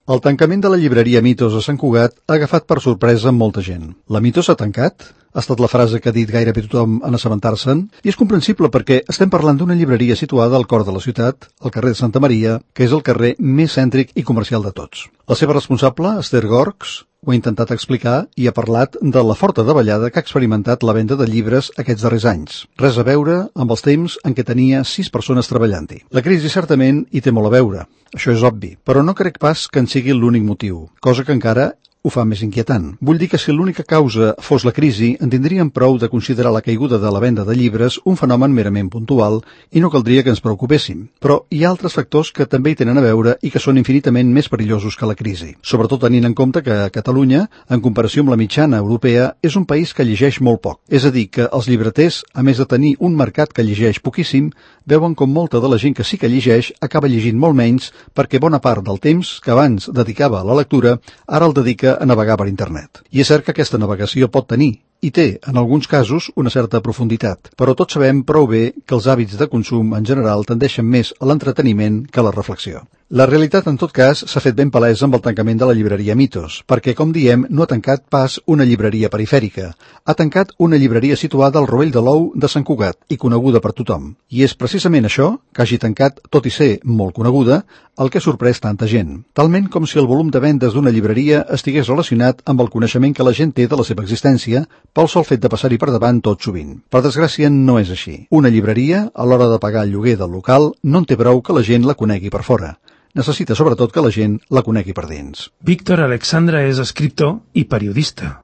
El tancament de la llibreria Mitos a Sant Cugat ha agafat per sorpresa molta gent. La Mitos ha tancat? Ha estat la frase que ha dit gairebé tothom en assabentar-se'n, i és comprensible perquè estem parlant d'una llibreria situada al cor de la ciutat, al carrer de Santa Maria, que és el carrer més cèntric i comercial de tots. La seva responsable, Esther Gorgs, ho ha intentat explicar i ha parlat de la forta davallada que ha experimentat la venda de llibres aquests darrers anys. Res a veure amb els temps en què tenia 6 persones treballant-hi. La crisi certament hi té molt a veure, això és obvi, però no crec pas que en sigui l'únic motiu, cosa que encara ho fa més inquietant. Vull dir que si l'única causa fos la crisi, en tindríem prou de considerar la caiguda de la venda de llibres un fenomen merament puntual i no caldria que ens preocupéssim. Però hi ha altres factors que també hi tenen a veure i que són infinitament més perillosos que la crisi. Sobretot tenint en compte que Catalunya, en comparació amb la mitjana europea, és un país que llegeix molt poc. És a dir, que els llibreters, a més de tenir un mercat que llegeix poquíssim, veuen com molta de la gent que sí que llegeix acaba llegint molt menys perquè bona part del temps que abans dedicava a la lectura ara el dedica a navegar per internet. I és cert que aquesta navegació pot tenir, i té, en alguns casos, una certa profunditat, però tots sabem prou bé que els hàbits de consum en general tendeixen més a l'entreteniment que a la reflexió. La realitat, en tot cas, s'ha fet ben palesa amb el tancament de la llibreria Mitos, perquè, com diem, no ha tancat pas una llibreria perifèrica. Ha tancat una llibreria situada al Rovell de l'Ou de Sant Cugat i coneguda per tothom. I és precisament això, que hagi tancat, tot i ser molt coneguda, el que ha sorprès tanta gent. Talment com si el volum de vendes d'una llibreria estigués relacionat amb el coneixement que la gent té de la seva existència pel sol fet de passar-hi per davant tot sovint. Per desgràcia, no és així. Una llibreria, a l'hora de pagar el lloguer del local, no en té prou que la gent la conegui per fora. Necessita sobretot que la gent la conegui per dins. Víctor Alexandra és escriptor i periodista.